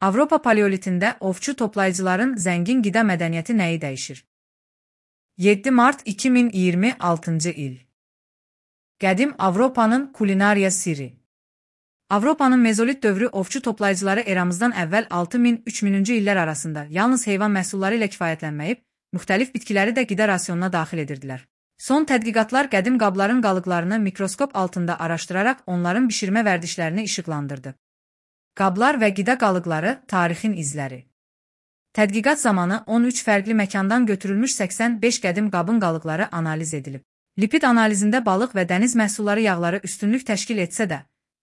Avropa paleolitində ovçu toplayıcıların zəngin qida mədəniyyəti nəyi dəyişir? 7 mart 2026-cı il. Qədim Avropanın kulinariya sirri. Avropanın mezolit dövrü ovçu toplayıcıları eramızdan əvvəl 6000-3000-cü illər arasında yalnız heyvan məhsulları ilə kifayətlənməyib, müxtəlif bitkiləri də qida rasionuna daxil edirdilər. Son tədqiqatlar qədim qabların qalıqlarını mikroskop altında araşdıraraq onların bişirmə vərdişlərini işıqlandırdı. Qablar və qida qalıqları, tarixin izləri. Tədqiqat zamanı 13 fərqli məkandan götürülmüş 85 qədim qabın qalıqları analiz edilib. Lipid analizində balıq və dəniz məhsulları yağları üstünlük təşkil etsə də,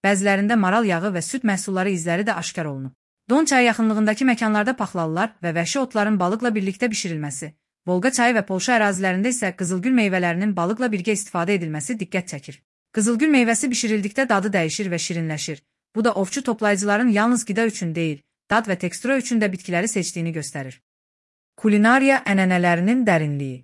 bəzilərində maral yağı və süd məhsulları izləri də aşkar olunub. Don çayı yaxınlığındakı məkanlarda paxlalılar və vəhşi otların balıqla birlikdə bişirilməsi, Volqa çayı və Polşa ərazilərində isə qızılgül meyvələrinin balıqla birgə istifadə edilməsi diqqət çəkir. Qızılgül meyvəsi bişirildikdə dadı dəyişir və şirinləşir. Bu da ovçu toplayıcıların yalnız qida üçün deyil, dad və tekstura üçün də bitkiləri seçdiyini göstərir. Kulinariya ənənələrinin dərinliyi.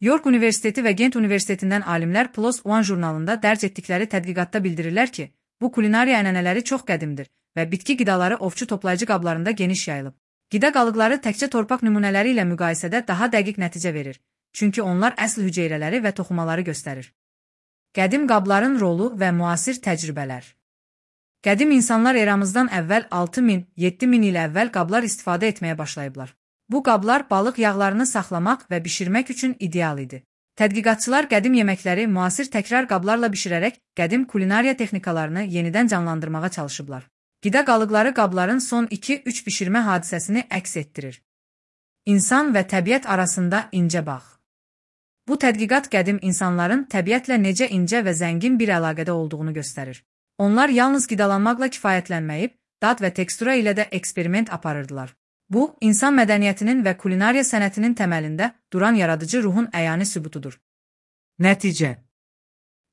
York Universiteti və Gent Universitetindən alimlər PLOS ONE jurnalında dərc etdikləri tədqiqatda bildirirlər ki, bu kulinariya ənənələri çox qədimdir və bitki qidaları ovçu toplayıcı qablarında geniş yayılıb. Qida qalıqları təkcə torpaq nümunələri ilə müqayisədə daha dəqiq nəticə verir, çünki onlar əsl hüceyrələri və toxumaları göstərir. Qədim qabların rolu və müasir təcrübələr. Qədim insanlar eramızdan əvvəl 6000-7000 il əvvəl qablar istifadə etməyə başlayıblar. Bu qablar balıq yağlarını saxlamaq və bişirmək üçün ideal idi. Tədqiqatçılar qədim yeməkləri müasir təkrar qablarla bişirərək qədim kulinariya texnikalarını yenidən canlandırmağa çalışıblar. Qida qalıqları qabların son 2-3 bişirmə hadisəsini əks etdirir. İnsan və təbiət arasında incə bağ. Bu tədqiqat qədim insanların təbiətlə necə incə və zəngin bir əlaqədə olduğunu göstərir. Onlar yalnız qidalanmaqla kifayətlənməyib, dad və tekstura ilə də eksperiment aparırdılar. Bu, insan mədəniyyətinin və kulinariya sənətinin təməlində duran yaradıcı ruhun əyani sübutudur. Nəticə.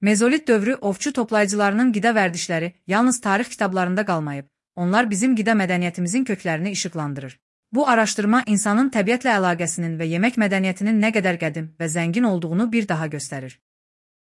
Mezolit dövrü ovçu toplayıcılarının qida vərdişləri yalnız tarix kitablarında qalmayıb, onlar bizim qida mədəniyyətimizin köklərini işıqlandırır. Bu araşdırma insanın təbiətlə əlaqəsinin və yemək mədəniyyətinin nə qədər qədim və zəngin olduğunu bir daha göstərir.